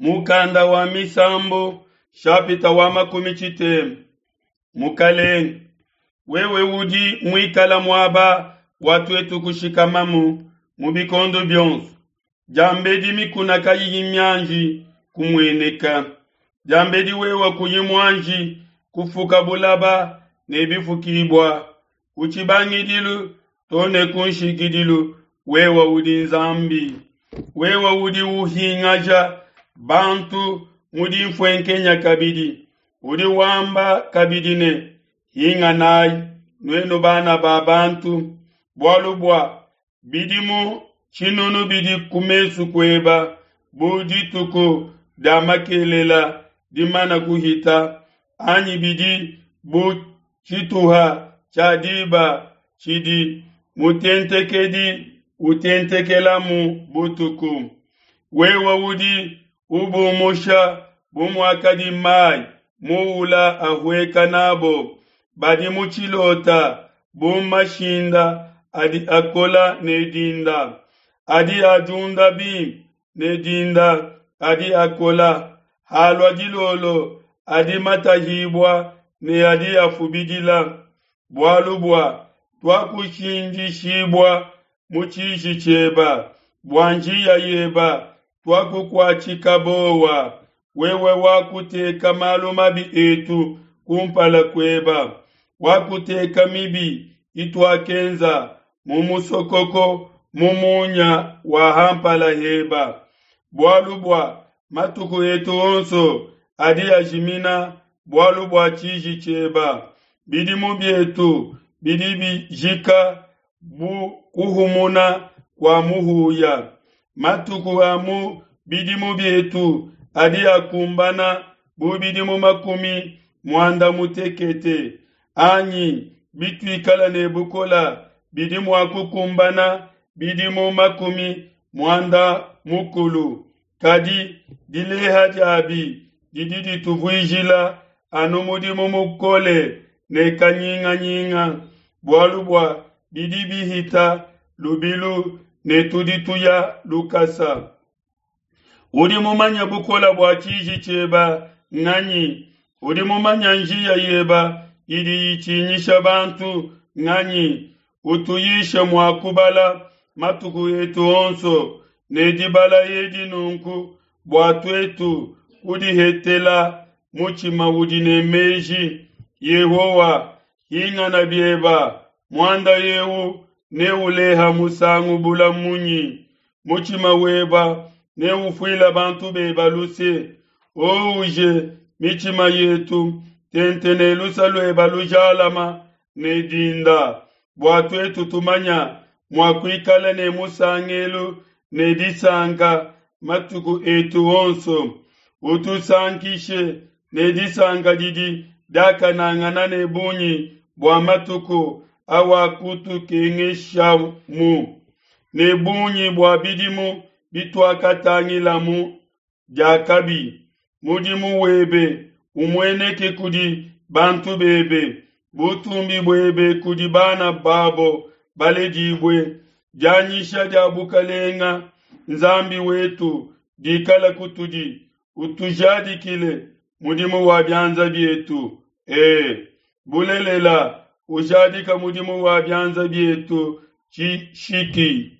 Mukanda wa Misambu, shapita wa 60. Mukalenge, wewe udi muikala muaba wa tuetu kushikamamu mu bikondo bionso. Diambedi mikuna kayiyi mianji kumueneka. Diambedi wewe kuyi muanji kufuka bulaba ne bifukibua. Ku tshibangidilu to ne ku nshikidilu wewe udi Nzambi. Wewe udi uhingaja bantu mu dinfuenkenya kabidi. Udi wamba kabidi ne, hinganayi nuenu bana ba bantu, bualu bua bidimu tshinunu bidi ku mesu kueba bu dituku dia makelela dimana kuhita, anyi bidi bu tshituha tshia diba tshidi mutentekedi utentekelamu butuku. Wewe udi ubumusha bu muakadi mai muula ahueka nabo, badi mu tshilota bu mashinda adi akola ne dinda, adi adiunda bimpe ne dinda, adi akola halua dilolo, adi matahibua ne adi afubidila. Bualu bua tuakushindishibua mu tshiji tshieba, bua njiya yeba tuakukuatshika bowa. Wewe wakuteka malu mabi etu kumpala kueba, wakuteka mibi ituakenza mu musokoko mu munya wa hampala heba. Bualu bua matuku etu onso adi ajimina bualu bua tshiji tshieba. Bidimu bietu bidi bijika bu kuhumuna kua muhuya. Matuku a mu bidimu bietu adi akumbana bu bidimu 80, anyi bituikala ne bukola bidi mua kukumbana bidimu 90. Kadi dileha diabi didi dituvuijila anu mudimu mukole ne kanyinganyinga, bualu bua bidi bihita lubilu ne tudi tuya lukasa. Udi mumanya bukola bua tshiji tshieba nganyi? Udi mumanya njiya yeba idi itshinyisha bantu nganyi? Utuyishe mua kubala matuku etu onso ne dibala edi nunku, bua tuetu kudihetela mutshima udi ne meji. Yehowa, hingana bieba, muanda eu neuleha musangu bula munyi? Mutshima weba neufuila bantu beba luse. Ouje mitshima yetu tente ne lusa lueba lujalama ne dinda, bua tuetu tumanya mua kuikala ne musangelu ne disanka matuku etu onso. Utusankishe ne disanka didi diakanangana ne bungi bua matuku awakutukengeshamu, ne bungi bua bidimu bituakatangilamu diakabi. Mudimu webe umueneke kudi bantu bebe, butumbi buebe kudi bana babo baledibue. Dianyisha dia bukalenga Nzambi wetu dikala kutudi, utujadikile mudimu wa bianza bietu. Bulelela ujadika mudimu wa bianza bietu tshishiki.